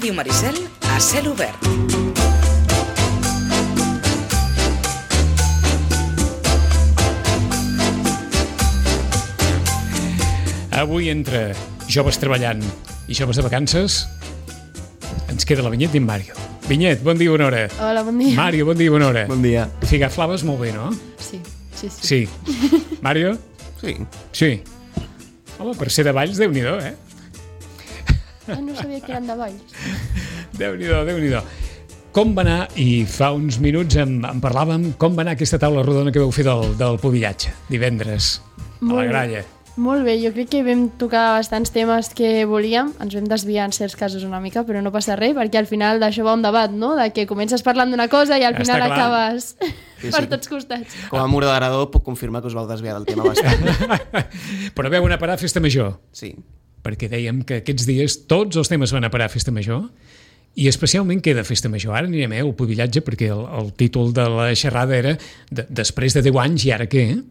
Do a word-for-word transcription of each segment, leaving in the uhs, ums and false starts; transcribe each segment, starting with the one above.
Ràdio Maricel a cel obert. Avui, entre joves treballant i joves de vacances, ens queda la Vinyet i en Mario. Vinyet, bon dia, bona hora. Hola, bon dia. Mario, bon dia, bona hora. Bon dia. Figaflaves molt bé, no? Sí, sí, sí. Sí. Mario? Sí. Sí. Home, per ser de Valls, Déu-n'hi-do, eh? Ah, no sabia que eren de Valls. Déu-n'hi-do, Déu-n'hi-do. Com va anar, i fa uns minuts en, en parlàvem, com va anar aquesta taula rodona que vau fer del, del pubillatge, divendres, a la gralla? Molt bé, jo crec que vam tocar bastants temes que volíem, ens vam desviar en certs casos una mica, però no passa res, perquè al final d'això va un debat, no? De que comences parlant d'una cosa i al Està final clar. acabes Sí, per sí. tots costats. Com a moderador puc confirmar que us vau desviar del tema bastant. Però veu anar a parar a Festa Major, Sí. perquè dèiem que aquests dies tots els temes van a parar a Festa Major, i especialment queda Festa Major. Ara anirem eh, al pubillatge, perquè el, el títol de la xerrada era de, després de deu anys, i ara què, eh?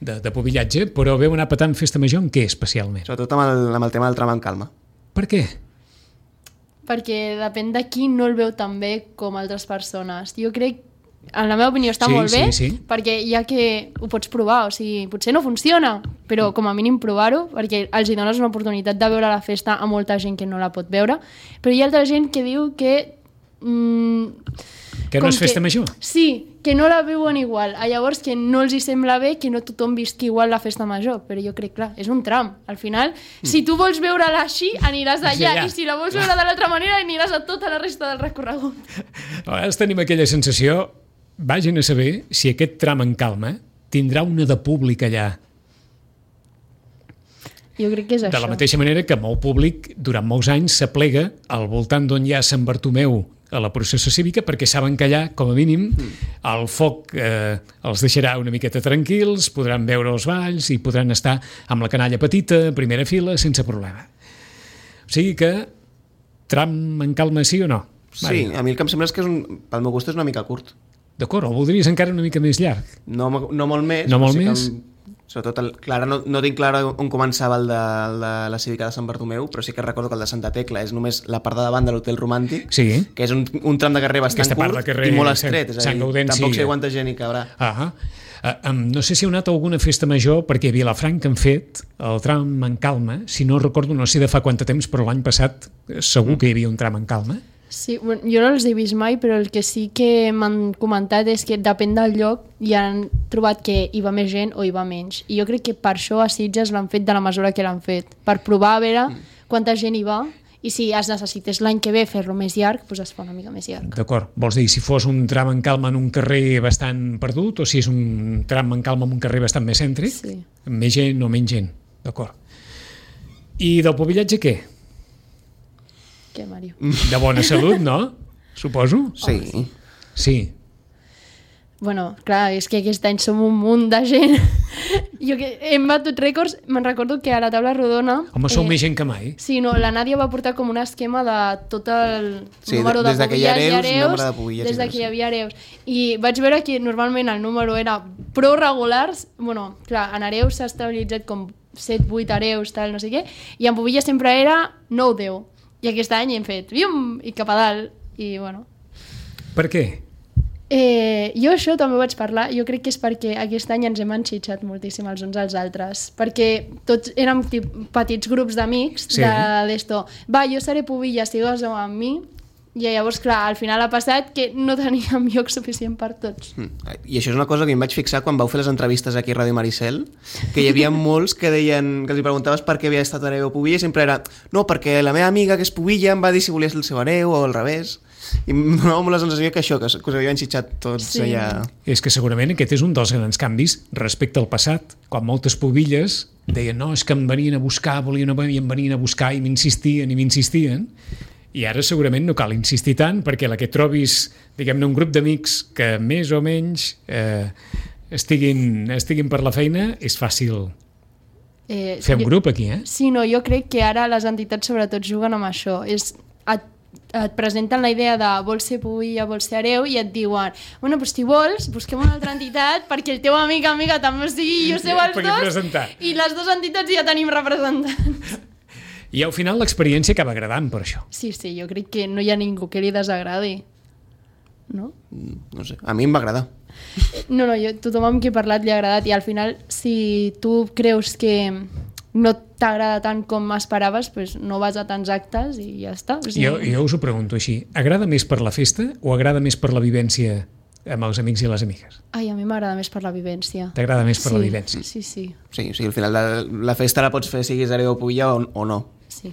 De, de pubillatge, però veu anar patant Festa Major en què especialment? Sobretot amb el, amb el tema del tram en calma. Per què? Perquè depèn de qui no el veu tan bé com altres persones. Jo crec, en la meva opinió, està Sí, molt bé, sí, sí. perquè ja que ho pots provar, o sigui, potser no funciona, però com a mínim provar-ho, perquè els hi dones una oportunitat de veure la festa a molta gent que no la pot veure, però hi ha altra gent que diu que... Mm, Que no com és Festa Major? Sí, que no la veuen igual. A llavors que no els hi sembla bé que no tothom visqui igual la Festa Major, però jo crec, clar, és un tram. Al final, mm. si tu vols veure-la així, aniràs allà, Sí, ja. i si la vols veure de l'altra manera, aniràs a tota la resta del recorregut. A vegades tenim aquella sensació, vagin a saber si aquest tram en calma tindrà una de públic allà. Jo crec que és De això. la mateixa manera que molt públic durant molts anys s'aplega al voltant d'on hi ha Sant Bartomeu a la processó cívica, perquè saben que allà, com a mínim, el foc eh, els deixarà una miqueta tranquils, podran veure els balls i podran estar amb la canalla petita, primera fila, sense problema. O sigui que tram en calma sí o no? Sí, Mario? a mi el que em sembla és que és un, pel meu gust és una mica curt. D'acord, o voldries encara una mica més llarg? No, no molt més. No però molt sí que més? em- Sobretot, el, clar, no, no tinc clar on començava el de, el de la cívica de Sant Bartomeu, però sí que recordo que el de Santa Tecla és només la part de davant de l'Hotel Romàntic, Sí. que és un, un tram de carrer bastant Aquesta part curt de carrer i molt Sant- estret. És a Sant dir, Gaudenci. tampoc sé quanta gent hi cabrà. Ah, uh, um, no sé si heu anat a alguna festa major, perquè a Vilafranca han fet el tram en calma, si no recordo, no sé de fa quant de temps, però l'any passat eh, segur que hi havia un tram en calma. Sí, bueno, jo no els he vist mai, però el que sí que m'han comentat és que depèn del lloc i han trobat que hi va més gent o hi va menys. I jo crec que per això a Sitges l'han fet de la mesura que l'han fet, per provar a veure quanta gent hi va, i si es necessités l'any que ve fer-lo més llarg, doncs es fa una mica més llarg. D'acord, vols dir si fos un tram en calma en un carrer bastant perdut o si és un tram en calma en un carrer bastant més cèntric? Sí. Amb més gent o menys gent, d'acord. I del pubillatge què? Què, Mario? De bona salut, no? Suposo? Sí. Sí. Bueno, clar, és que aquest any som un munt de gent. Jo que hem batut rècords, me'n recordo que a la taula rodona... Home, sou més gent que mai. Sí, no, la Nàdia va portar com un esquema de tot el Sí, número de des de que hi ha pubilles i hereus, nombre de pubilles des i de hereus, que hi sí. havia hereus. I vaig veure que normalment el número era prou regulars, bueno, clar, en hereus s'ha estabilitzat com set vuit hereus, tal, no sé què, i en pubilles sempre era nou deu. I aquest any hem fet, vium, i cap a dalt, i bueno... Per què? Eh, jo això també ho vaig parlar, jo crec que és perquè aquest any ens hem enxitxat moltíssim els uns als altres, perquè tots érem tip, petits grups d'amics Sí. de d'esto, va, jo seré pubilla, sigues amb mi, i llavors, clar, al final ha passat que no teníem lloc suficient per tots. Mm. I això és una cosa que em vaig fixar quan vau fer les entrevistes aquí a Ràdio Maricel, que hi havia molts que deien, que els preguntaves per què havia estat hereu o pubilla, i sempre era, no, perquè la meva amiga que és pubilla em va dir si volia ser el seu hereu o al revés. I em donava molt la sensació que això, que us, que us havia enxitxat tots Sí. allà... És que segurament aquest és un dels grans canvis respecte al passat, quan moltes pubilles deien, no, és que em venien a buscar, volien a venir, em venien a buscar i m'insistien i m'insistien, i ara segurament no cal insistir tant, perquè la que trobis, diguem-ne, un grup d'amics que més o menys eh, estiguin, estiguin per la feina, és fàcil Eh, fer un jo- grup aquí, eh? Sí, no, jo crec que ara les entitats sobretot juguen amb això, és et et presenten la idea de vols ser pubilla, vols ser hereu, i et diuen, bueno, doncs si vols, busquem una altra entitat perquè el teu amic amiga també o sigui, i ho seu els Pugui dos, presentar. i les dues entitats ja tenim representants. I al final l'experiència acaba agradant per això. Sí, sí, jo crec que no hi ha ningú que li desagradi. No? No sé, a mi em va agradar. No, no, jo, tothom amb qui he parlat li ha agradat i al final, si tu creus que no t'agrada tant com esperaves, pues no vas a tants actes i ja està. O sigui... Jo, jo us ho pregunto així. Agrada més per la festa o agrada més per la vivència amb els amics i les amigues? Ai, a mi m'agrada més per la vivència. T'agrada més per sí, la vivència? Sí, sí. Sí, o sigui, al final la, la festa la pots fer siguis hereu o pulla o, o no. Sí.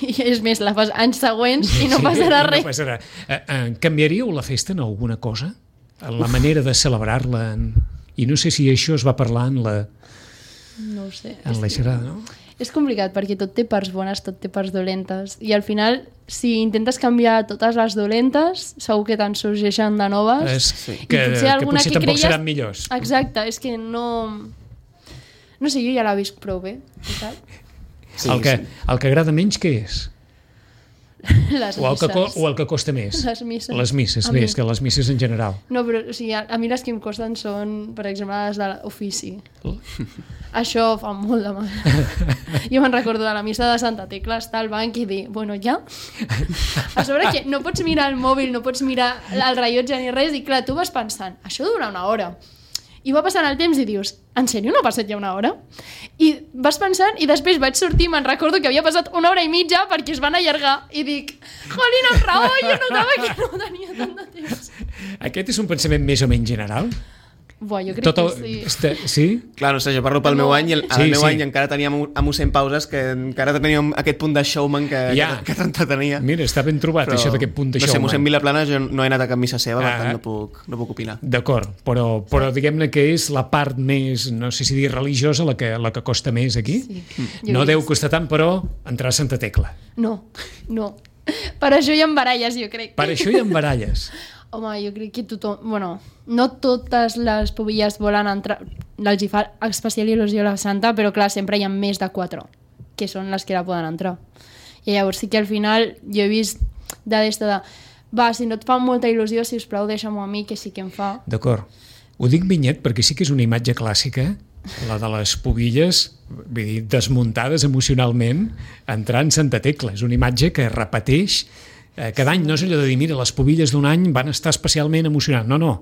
I és més, la fas anys següents i no passarà res. No passarà. Eh, eh, canviaríeu la festa en alguna cosa? En la manera de celebrar-la? En... I no sé si això es va parlar en la... No ho sé. En la xerrada, no? És complicat perquè tot té parts bones, tot té parts dolentes. I al final, si intentes canviar totes les dolentes, segur que te'n sorgeixen de noves. És, sí. que, potser que alguna potser que tampoc creies... seran millors. Exacte, és que no... No sé, jo ja la visc prou bé. Sí, el, que, sí. el que agrada menys, què és? Les o, el que, misses. o el que costa més? Les misses. Les misses, A bé, mi- és que les misses en general. No, però o sigui, a, a mi les que em costen són, per exemple, les de l'ofici. Això fa molt de mal. Jo me'n recordo de la missa de Santa Tecla, estar al banc i dir, bueno, ja? A sobre que no pots mirar el mòbil, no pots mirar el rellotge ni res, i clar, tu vas pensant, això dura una hora. I va passant el temps i dius, en sèrio no ha passat ja una hora? I vas pensant, i després vaig sortir, me'n recordo que havia passat una hora i mitja perquè es van allargar, i dic, jolín, amb raó, jo notava que no tenia tant de temps. Aquest és un pensament més o menys general? Buah, jo crec Tot el... que sí. Este... Sí? Clar, no sé, jo parlo pel No. meu any i el, al Sí, meu sí. any encara teníem a mossèn Pauses que encara teníem aquest punt de showman que, Ja. que, que t'entretenia. Mira, està ben trobat, això d'aquest punt de no sé, showman. mossèn Vilaplana jo no he anat a cap missa seva, per Ah. tant no puc, no puc opinar. D'acord, però, però diguem-ne que és la part més, no sé si dir religiosa, la que, la que costa més aquí. Sí. No Jo deu crec- costar tant, però entrar a Santa Tecla. No, no. Per això hi ha baralles, jo crec. Per això hi ha baralles. Home, jo crec que tothom... Bueno, no totes les pobilles volen entrar... Els hi fa especial il·lusió la Santa, però clar, sempre hi ha més de quatre, que són les que la poden entrar. I llavors sí que al final jo he vist de d'esta de... Va, si no et fa molta il·lusió, si us plau, deixa'm-ho a mi, que sí que em fa. D'acord. Ho dic Vinyet perquè sí que és una imatge clàssica, la de les pobilles, vull dir, desmuntades emocionalment, entrant Santa Tecla. És una imatge que repeteix eh, cada any. No és allò de dir, mira, les pobilles d'un any van estar especialment emocionants. No, no,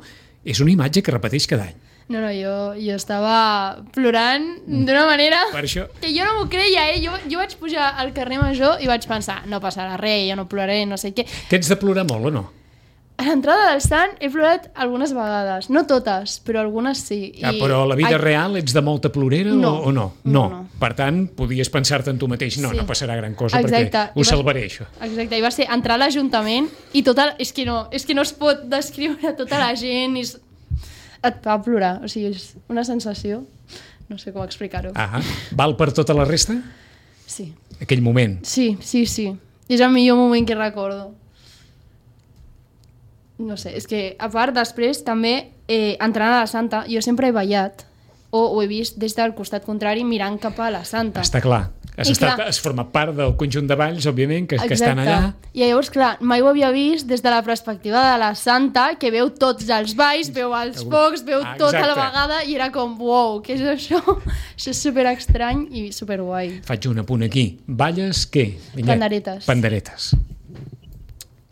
és una imatge que repeteix cada any. No, no, jo, jo estava plorant d'una manera Per això... que jo no m'ho creia, eh? Jo, jo vaig pujar al carrer Major i vaig pensar, no passarà res, jo no ploraré, no sé què. Tens de plorar molt o no? A l'entrada del Sant he plorat algunes vegades, no totes, però algunes sí. Ah, però a la vida Ai, real ets de molta plorera No. o, o no? No, No. no. Per tant, podies pensar-te en tu mateix, no, Sí. no passarà gran cosa Exacte. perquè I ho va- salvaré, això. Exacte, i va ser entrar a l'Ajuntament i tota... És que no, és que no es pot descriure tota la gent i es- et fa plorar, o sigui, és una sensació, no sé com explicar-ho. Ah, val per tota la resta? Sí, Aquell moment. sí, sí, sí. És el millor moment que recordo. No sé, és que a part després també eh, entrant a la Santa, jo sempre he ballat o ho he vist des del costat contrari mirant cap a la Santa. Està clar. Has, I estat, clar. has format part del conjunt de balls, òbviament, que, que estan allà. I llavors, clar, mai ho havia vist des de la perspectiva de la Santa, que veu tots els balls, veu els focs, veu Ah, tota la exacte. vegada, i era com, uau, què és això? Això és super estrany i super guai. Faig un apunt aquí. Balles, què? Vinyet? Panderetes. Panderetes.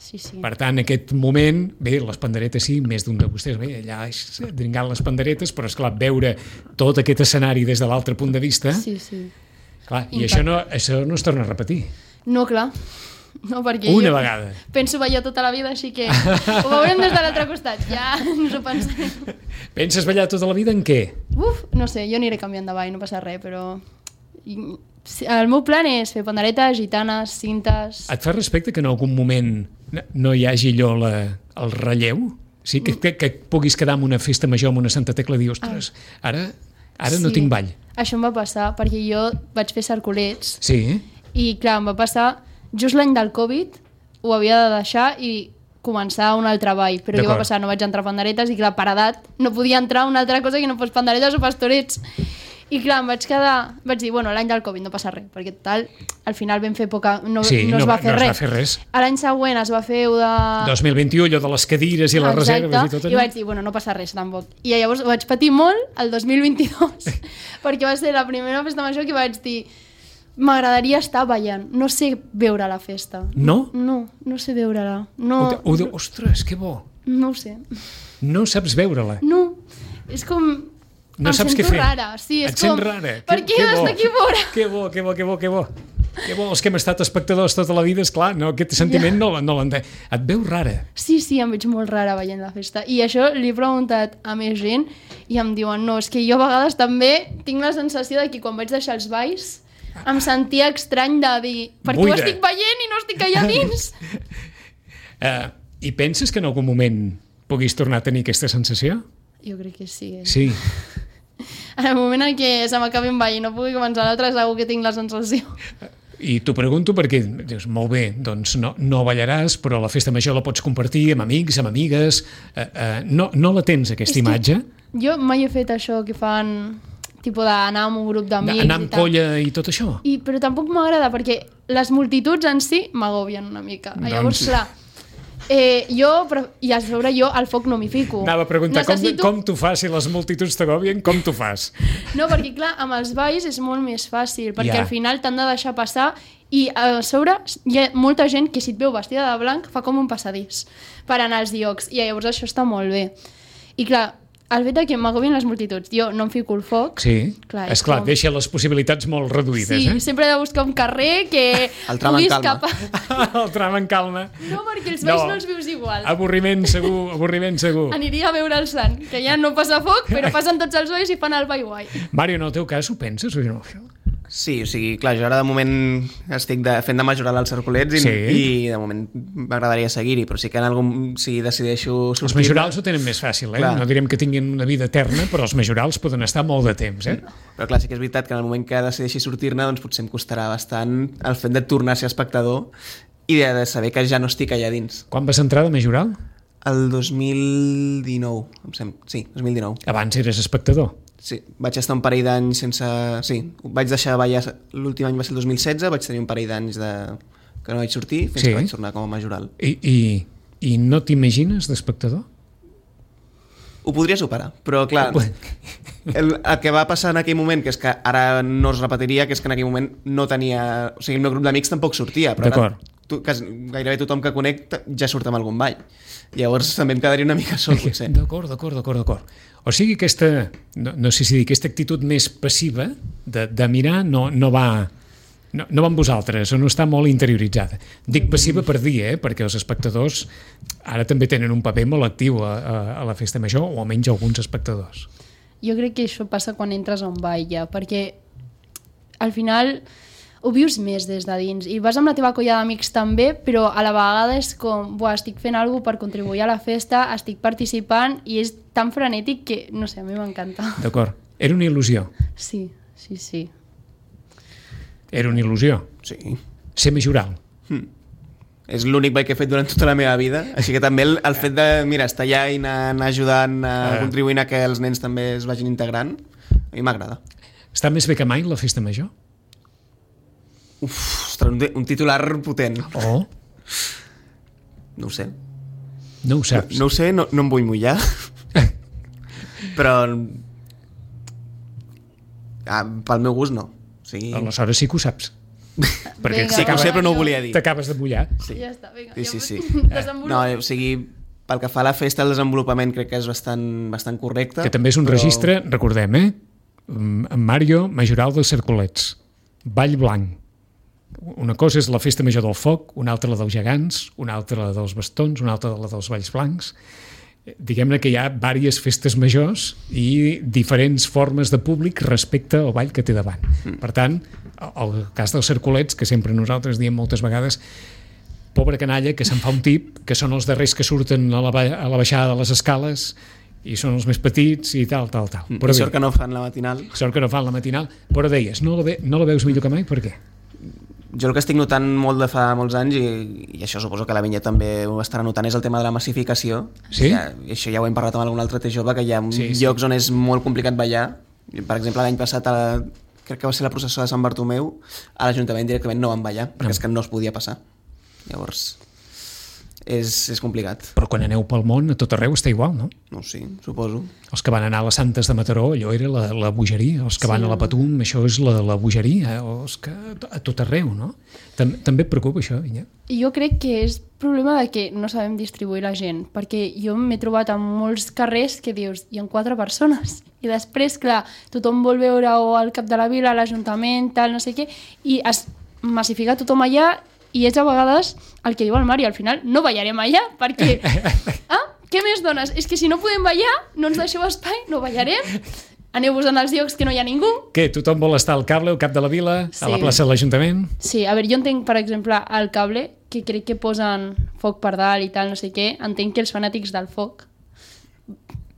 Sí, sí. Per tant, aquest moment, bé, les panderetes sí, més d'un de vostès, bé, allà és dringant les panderetes, però, esclar, veure tot aquest escenari des de l'altre punt de vista, Sí, sí. clar, i això no, això no es torna a repetir. No, clar. No, perquè Una jo vegada. penso ballar tota la vida, així que ho veurem des de l'altre costat. Ja ens ho pensarem. Penses ballar tota la vida en què? Uf, no sé, jo aniré canviant de ball, no passa res, però... I- sí, el meu plan és fer panderetes, gitanes, cintes... Et fa respecte que en algun moment no- no hi hagi allò la, el relleu? Sí, que, que, que puguis quedar en una festa major, en una Santa Tecla, i dir, ostres, ara, ara no Sí, tinc ball. Això em va passar, perquè jo vaig fer cercolets Sí, i, clar, em va passar just l'any del Covid, ho havia de deixar i començar un altre ball, però què va D'acord. passar? No vaig entrar a panderetes i, clar, per edat no podia entrar a una altra cosa que no fos panderetes o pastorets. I, clar, em vaig quedar... Vaig dir, bueno, l'any del Covid no passa res, perquè tal, al final vam fer poca... No, sí, no es va fer no es res. va fer res. A l'any següent es va fer ho de... dos mil vint-i-u, allò de les cadires i les Exacte, reserves i tot i allò. vaig dir, bueno, no passa res tampoc. I llavors ho vaig patir molt el dos mil vint-i-dos, perquè va ser la primera festa major que vaig dir, m'agradaria estar ballant. No sé veure la festa. No? No, no sé veure-la. No, O, o, o, ostres, que bo. no ho sé. No saps veure-la. No, és com... No em saps què sento fer. rara, sí, és Et com... sents rara. Per Que- què que has bo. d'aquí fora? Que bo, que bo, que bo, que bo. Que bo, els que hem estat espectadors tota la vida, és clar, no, aquest sentiment Ja. no, no l'entenc. Et veus rara. Sí, sí, em veig molt rara veient la festa. I això li he preguntat a més gent i em diuen, no, és que jo a vegades també tinc la sensació de que quan vaig deixar els balls em sentia estrany de dir, perquè ho Buida. estic veient i no estic allà dins. Uh, I penses que en algun moment puguis tornar a tenir aquesta sensació? Jo crec que sí. Eh? Sí. En el moment en què se m'acabi un ball i no pugui començar l'altre, segur que tinc la sensació. I t'ho pregunto perquè dius, molt bé, doncs no, no ballaràs, però la festa major la pots compartir amb amics, amb amigues. Uh, uh, no, no la tens, aquesta És que imatge? Jo mai he fet això que fan, tipus d'anar amb un grup d'amics Anar i amb tal. colla i tot això? I, però tampoc m'agrada perquè les multituds en si m'agobien una mica. Doncs- Llavors, clar, eh, jo, però, i a sobre jo al foc no m'hi fico. Anava a preguntar, Necessito... com, com t'ho fas si les multituds t'agobien? Com t'ho fas? No, perquè clar, amb els balls és molt més fàcil, perquè Ja. al final t'han de deixar passar i a sobre hi ha molta gent que si et veu vestida de blanc fa com un passadís per anar als llocs i llavors això està molt bé. I clar, el fet de que m'agobien les multituds, jo no em fico al foc, Sí, Clar, és és clar, com- deixa les possibilitats molt reduïdes, sí, eh? sempre he de buscar un carrer que El tram en pugui calma. escapar. El tram en calma. No, perquè els balls No. no, els vius igual. Avorriment segur, avorriment segur. Aniria a veure el sant, que ja no passa foc, però passen tots els balls i fan el ball guai. Mario, en el teu cas ho penses o no? Sí, o sigui, clar, jo ara de moment estic de, fent de majoral als circulets i, Sí. i de moment m'agradaria seguir-hi, però sí que en algun... Si decideixo sortir... Els majorals ho tenen més fàcil, eh? Clar. No direm que tinguin una vida eterna, però els majorals poden estar molt de temps, eh? Però clar, sí que és veritat que en el moment que decideixi sortir-ne doncs potser em costarà bastant el fet de tornar a ser espectador i de, de saber que ja no estic allà dins. Quan vas entrar de majoral? El dos mil dinou, em sembla. Sí, dos mil dinou. Abans eres espectador. Sí, vaig estar un parell d'anys sense... Sí, vaig deixar de ballar... L'últim any va ser el dos mil setze, vaig tenir un parell d'anys de... que no vaig sortir fins Sí. que vaig tornar com a majoral. I, i, i no t'imagines d'espectador? Ho podria superar, però clar, el, el que va passar en aquell moment, que és que ara no es repetiria, que és que en aquell moment no tenia... O sigui, el meu grup d'amics tampoc sortia, però ara D'acord. tu, quasi, gairebé tothom que conec ja surt amb algun ball. Llavors també em quedaria una mica sol, potser. D'acord, d'acord, d'acord, d'acord. O sigui, aquesta, no, no sé si dir, aquesta actitud més passiva de, de mirar no, no va... No, no va amb vosaltres, o no està molt interioritzada. Dic passiva per dir, eh? Perquè els espectadors ara també tenen un paper molt actiu a, a, a la festa major, o almenys alguns espectadors. Jo crec que això passa quan entres a un ball ja, perquè al final ho vius més des de dins i vas amb la teva colla d'amics també, però a la vegada és com, buah, estic fent alguna cosa per contribuir a la festa, estic participant i és tan frenètic que, no sé, a mi m'encanta. D'acord. Era una il·lusió. Sí, sí, sí. Era una il·lusió. Sí. Ser majoral. És l'únic ball que he fet durant tota la meva vida, així que també el, el fet de, mira, estar allà i anar, anar ajudant, a, Ah. contribuint a que els nens també es vagin integrant, a mi m'agrada. Està més bé que mai la festa major? Uf, ostres, un, un titular potent. O No ho sé. no ho saps? No ho sé, no, no em vull mullar. Però... Ah, pel meu gust, no. O sigui... Aleshores sí que ho saps. Perquè Vinga, Sí que ho sé, va. però no ho volia dir. t'acabes de mullar. Sí. Ja està, vinga. Sí, sí, sí. Desenvolupa. No, o sigui, pel que fa a la festa, el desenvolupament crec que és bastant, bastant correcte. Que també és un però... registre, recordem, eh? Mm, En Mario, majoral dels Cercolets. Ball blanc. Una cosa és la festa major del foc, una altra la dels gegants, una altra la dels bastons, una altra la dels balls blancs. Eh, Diguem-ne que hi ha diverses festes majors i diferents formes de públic respecte al ball que té davant. Mm. Per tant, el cas dels Cercolets, que sempre nosaltres diem moltes vegades, pobre canalla, que se'n fa un tip, que són els darrers que surten a la, ba- a la baixada de les escales i són els més petits i tal, tal, tal. I Però sort bé, que no fan la matinal. sort que no fan la matinal. Però deies, no la, ve, no la veus millor que mai? Per què? Jo el que estic notant molt de fa molts anys, i, i això suposo que la Vinya també ho estarà notant, és el tema de la massificació. Sí? Ja, i això ja ho hem parlat amb algun altre té jove, que hi ha Sí, sí. llocs on és molt complicat ballar. Per exemple, l'any passat, a la, crec que va ser la processó de Sant Bartomeu, a l'Ajuntament directament no van ballar, perquè és que no es podia passar. Llavors, és, és complicat. Però quan aneu pel món, a tot arreu està igual, no? No, sí, suposo. Els que van anar a les Santes de Mataró, allò era la, la bogeria. Els que Sí, van a la no. Patum, això és la, la bogeria. O els que, a tot arreu, no? Tam, també et preocupa això, Vinyet? Jo crec que és problema de que no sabem distribuir la gent, perquè jo m'he trobat en molts carrers que dius, hi ha quatre persones, i després, clar, tothom vol veure o al cap de la vila, l'Ajuntament, tal, no sé què, i es massifica tothom allà, i és a vegades el que diu el Mari, al final no ballarem allà, perquè... Ah, què més dones? És que si no podem ballar, no ens deixeu espai, no ballarem, aneu-vos en els llocs que no hi ha ningú. Què, tothom vol estar al Cable, al cap de la vila, Sí. a la plaça de l'Ajuntament? Sí, a veure, jo entenc, per exemple, al Cable, que crec que posen foc per dalt i tal, no sé què, entenc que els fanàtics del foc,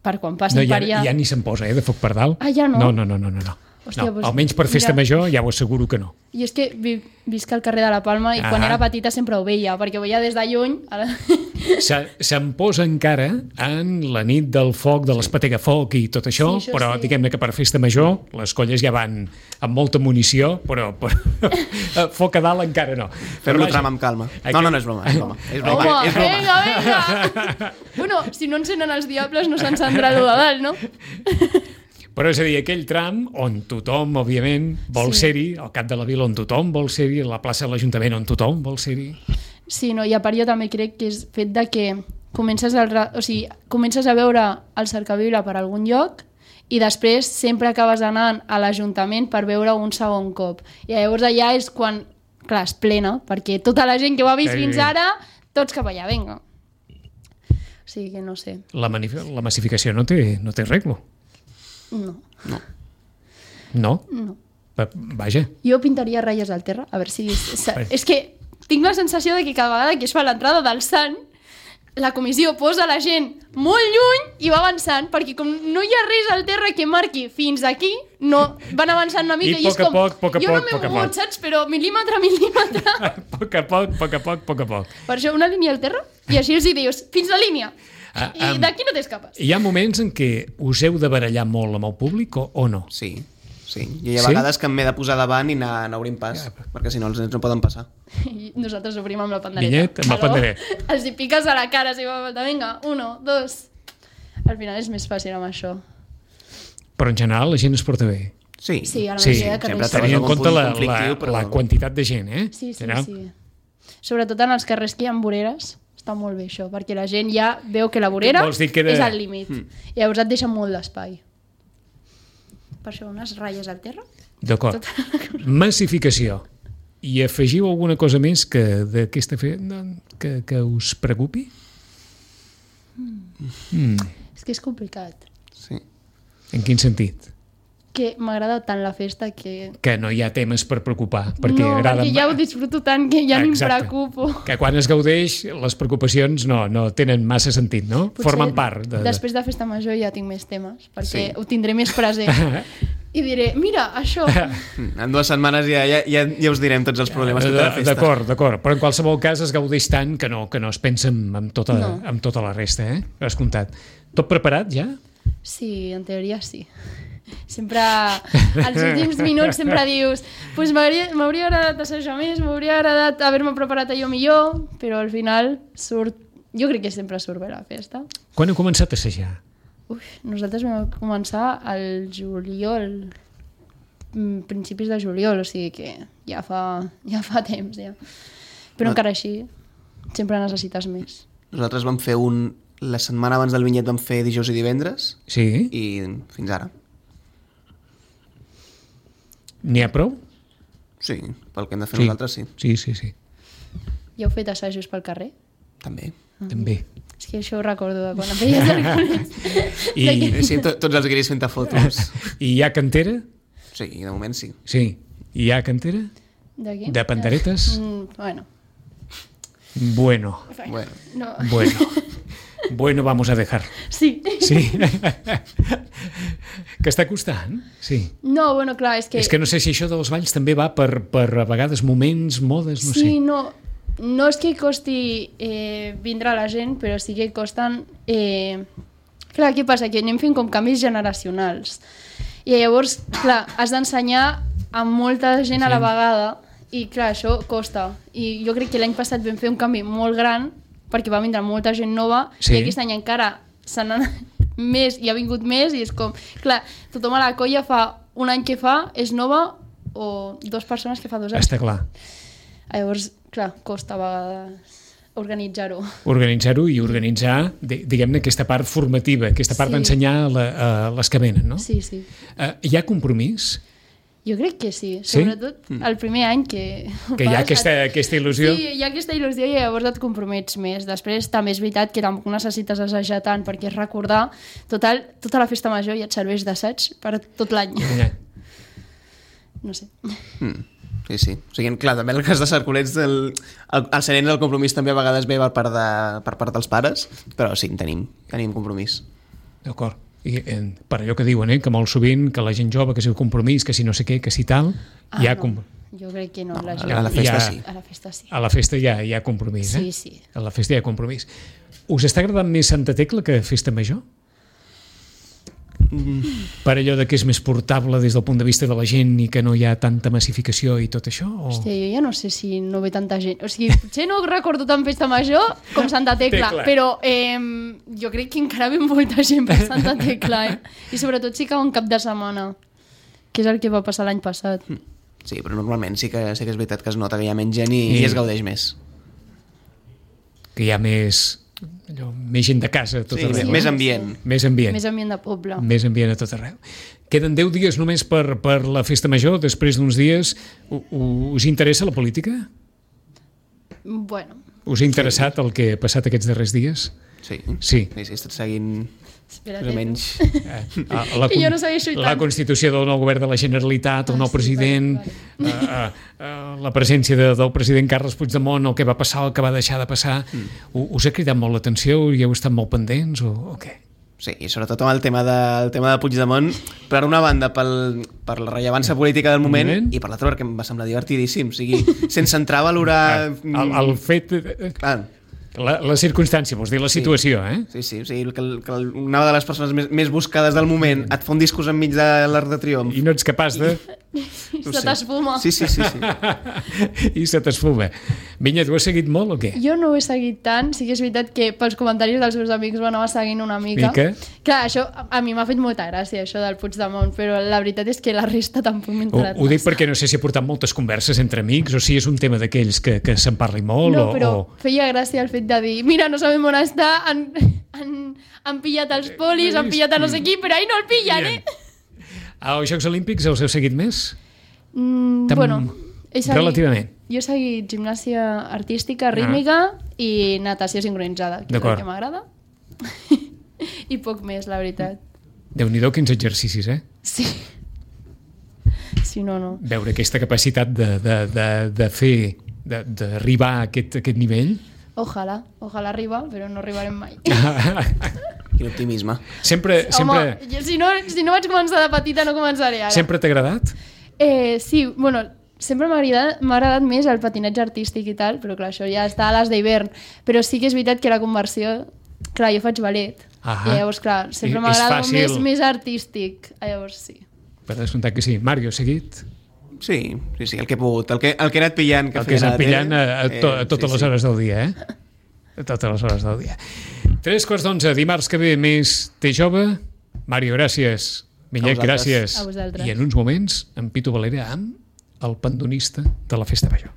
per quan passin No, ja, per allà... ja ni se'n posa, eh, de foc per dalt. Ah, ja no? No, no, no, no, no. no. Hòstia, no doncs, almenys per festa mira. major ja ho asseguro que no. I és que vi, visc al carrer de la Palma i Ah. quan era petita sempre ho veia, perquè ho veia des de lluny. Ara... Se, se'n posa encara en la nit del foc, de l'Espetegafoc i tot això, Sí, això però sí. diguem-ne que per festa major les colles ja van amb molta munició, però, però foc a dalt encara no. Fer-lo Però, tram amb calma. Aquest- No, no, no és broma, és broma. És broma, Home, és broma. vinga, vinga! Bueno, si no encenen els diables no s'encendrà lo de dalt, no? Però és a dir, aquell tram on tothom, òbviament, vol Sí. ser-hi, al cap de la vila on tothom vol ser-hi, a la plaça de l'Ajuntament on tothom vol ser-hi. Sí, no, i a part jo també crec que és fet de que comences, el, ra- o sigui, comences a veure el cercavila per algun lloc i després sempre acabes anant a l'Ajuntament per veure un segon cop. I llavors allà és quan, clar, es plena, perquè tota la gent que ho ha vist Sí. fins ara, tots cap allà, vinga. O sigui que no sé. La, manif- la massificació no té, no té arreglo. No. No? No. Va- Vaja. Jo pintaria ratlles al terra, a veure si... És que tinc la sensació de que cada vegada que es fa l'entrada del Sant, la comissió posa la gent molt lluny i va avançant, perquè com no hi ha res al terra que marqui fins aquí, no, van avançant una mica I i, és poc a com... poc, poc a jo no poc, m'he poc a mogut, poc. saps? Però mil·límetre a mil·límetre. A poc a poc, poc a poc, poc a poc. Per això una línia al terra i així els hi dius, fins la línia. Ah, I am- d'aquí no t'escapes. Hi ha moments en què us heu de barallar molt amb el públic o, o no? Sí, sí. I hi ha Sí? vegades que m'he de posar davant i anar, anar obrint pas, perquè si no els nens no poden passar. I nosaltres obrim amb la pandereta. Vinyet, amb la Aló? pandereta. Els hi piques a la cara si fa falta. Vinga, uno, dos... Al final és més fàcil amb això. Però en general la gent es porta bé. Sí, Sí, a la Sí, majoria de sempre carrers. trobes Tenint en algun compte punt la, la, conflictiu, però- la quantitat de gent, eh? Sí, sí, General. sí. Sobretot en els carrers que hi ha voreres, està molt bé això, perquè la gent ja veu que la vorera Vols dir que era- és al límit. Mm. I llavors et deixa molt d'espai. Per això unes ratlles al terra. D'acord. Massificació. I afegiu alguna cosa més que d'aquesta fe... que, que us preocupi? Mm. És que és complicat. Sí. En quin sentit? Que m'agrada tant la festa que... Que no hi ha temes per preocupar, perquè no, agrada... perquè ja ho disfruto tant que ja ni em Exacte. preocupo. Que quan es gaudeix, les preocupacions no, no tenen massa sentit, no? Potser Formen part. De, de... Després de festa major ja tinc més temes, perquè Sí. ho tindré més present. I diré, mira, això... En dues setmanes ja, ja, ja, ja us direm tots els problemes que té la De- festa. D'acord, d'acord. Però en qualsevol cas es gaudeix tant que no, que no es pensa en, en, tota, No. en tota la resta, eh? Has comptat. Tot preparat ja? Sí, en teoria sí. Sempre, als últims minuts sempre dius pues m'hauria m'hauria agradat assajar més, m'hauria agradat haver-me preparat allò millor, però al final surt... Jo crec que sempre surt bé la festa. Quan heu començat a assajar? Uf, nosaltres vam començar al juliol, mm, principis de juliol, o sigui que ja fa, ja fa temps, ja. Però No. encara així, sempre necessites més. Nosaltres vam fer un... La setmana abans del vinyet vam fer dijous i divendres Sí? i fins ara. N'hi ha prou? Sí, pel que hem de fer nosaltres sí. Sí, sí, sí. Ja heu fet assajos pel carrer? També. També. És que això ho recordo de quan em feia cerculets. I, Sí, to, tots els guiris fent fotos. I hi ha cantera? Sí, de moment sí. Sí. I hi ha cantera? D'aquí? De panderetes? Mm, bueno. Bueno, Bueno. No. bueno. Bueno, vamos a dejar. Sí. Sí. Que està costant? Sí. No, bueno, clar, és que... És que no sé si això dels balls també va per, per a vegades moments, modes, no sí, sé. no, no és que costi eh, vindre a la gent, però sí que costen... Eh... Clar, què passa? Que anem fent com canvis generacionals. I llavors, clar, has d'ensenyar a molta gent a la vegada i, clar, això costa. I jo crec que l'any passat vam fer un canvi molt gran perquè va vindre molta gent nova, Sí. i aquest any encara se n'han anat més, i ha vingut més, i és com, clar, tothom a la colla fa un any que fa, és nova, o dues persones que fa dos anys. Està clar. Llavors, clar, costa a vegades organitzar-ho. Organitzar-ho i organitzar, di- diguem-ne, aquesta part formativa, aquesta part Sí. d'ensenyar a, la, a les que venen, no? Sí, sí. Uh, hi ha compromís? Jo crec que sí, Sí? sobretot el primer any que... Que hi ha aquesta, aquesta il·lusió? Sí, hi ha aquesta il·lusió i llavors et compromets més. Després també és veritat que tampoc necessites assajar tant perquè és recordar. Total, tota la festa major ja et serveix d'assaig per tot l'any. Ja. No sé. Mm. Sí, sí. O sigui, clar, també en el cas de Cercolets el, el, el serent del compromís també a vegades ve per part, de, per part dels pares, però sí, tenim, tenim compromís. D'acord. I eh, per allò que diuen, eh, que molt sovint que la gent jove, que si el compromís, que si no sé què, que si tal, Ah, hi ha no. com... Jo crec que no. No, la a gent... la festa Ja. sí. A la festa sí. A la festa hi ha, hi ha compromís, eh? Sí, sí. A la festa hi ha compromís. Us està agradant més Santa Tecla que Festa Major? Mm. Per allò de que és més portable des del punt de vista de la gent i que no hi ha tanta massificació i tot això? O... Hòstia, jo ja no sé si no ve tanta gent. O sigui, potser no recordo tant festa major com Santa Tecla, Tecla. però eh, jo crec que encara ve molta gent per Santa Tecla, eh? I sobretot si cau un cap de setmana, que és el que va passar l'any passat. Sí, però normalment sí que, sí que és veritat que es nota que hi ha menys gent i, I- i es gaudeix més. Que hi ha més, allò, més gent de casa a tot Sí, arreu. més ambient. Més ambient. Més ambient de poble. Més ambient a tot arreu. Queden deu dies només per, per la festa major, després d'uns dies. U, u- us interessa la política? Bueno, Us ha interessat el que ha passat aquests darrers dies? Sí. Sí. Sí, sí, he estat seguint espera't. més o menys... Eh, a- a la, Que jo con- no segueixo la tant. constitució del nou govern de la Generalitat, el Ah, nou sí, president, vale, eh, eh, eh, la presència de, del president Carles Puigdemont, el que va passar, el que va deixar de passar. Mm. Us ha cridat molt l'atenció i heu estat molt pendents o, o què? Sí, i sobretot amb el tema de, el tema de Puigdemont, per una banda pel, per la rellevància política del moment, moment. i per l'altra perquè em va semblar divertidíssim. O sigui, sense entrar a valorar... El, el fet... eh, Clar, La, la circumstància, vols dir la situació, eh? sí, sí, o sigui, que, el- que el- una de les persones més, més buscades del moment et fa un discurs enmig de l'Arc de Triomf. I no ets capaç de... No Se sé. t'esfuma. Sí, sí, sí, sí. I se t'esfuma. Vinya, tu has seguit molt o què? Jo no ho he seguit tant, sí que és veritat que pels comentaris dels meus amics ho anava seguint una mica. Mica? Clar, això a a mi m'ha fet molta gràcia, això del Puigdemont, però la veritat és que la resta tampoc m'ha Ho, entrat ho dic massa. perquè no sé si ha portat moltes converses entre amics o si és un tema d'aquells que, que se'n parli molt No, o, però o... feia gràcia el fet de dir mira, no sabem on està, han, han, han pillat els polis, han pillat a no sé qui, però ahir no el pillen, eh? Als Jocs Olímpics els heu seguit més? Mm, Tam- bueno, he seguit, relativament. Jo he seguit gimnàsia artística, rítmica i natació sincronitzada, que és D'acord. el que m'agrada. I poc més, la veritat. Déu-n'hi-do quins exercicis, eh? Sí. Sí, no, no. Veure aquesta capacitat de, de, de, de fer, de- d'arribar a aquest, aquest nivell. Ojalà, ojalà arribar, però no arribarem mai. Quin optimisme. sempre sempre, Home, jo, si, no, si no vaig començar de petita no començaré ara. sempre t'ha agradat? Eh, sí, bueno, sempre m'ha agradat, m'ha agradat més el patinatge artístic i tal, però clar, això ja està a les d'hivern. Però sí que és veritat que la conversió... Clar, jo faig ballet. Ahà. I llavors, clar, sempre I- m'agrada és fàcil. més, més artístic. Llavors, sí. Per descomptat que sí. Mario, seguit? Sí, sí, sí, el que he pogut, el que, el que he anat pillant. El que has anat pillant a, a, to, a totes sí, les sí. hores del dia, eh? A totes les hores del dia. Tres quarts d'onze, dimarts que ve més Té Jove. Mario, gràcies. Millet, A vosaltres. gràcies. A vosaltres. I en uns moments, en Pitu Valera amb el pandonista de la Festa Major.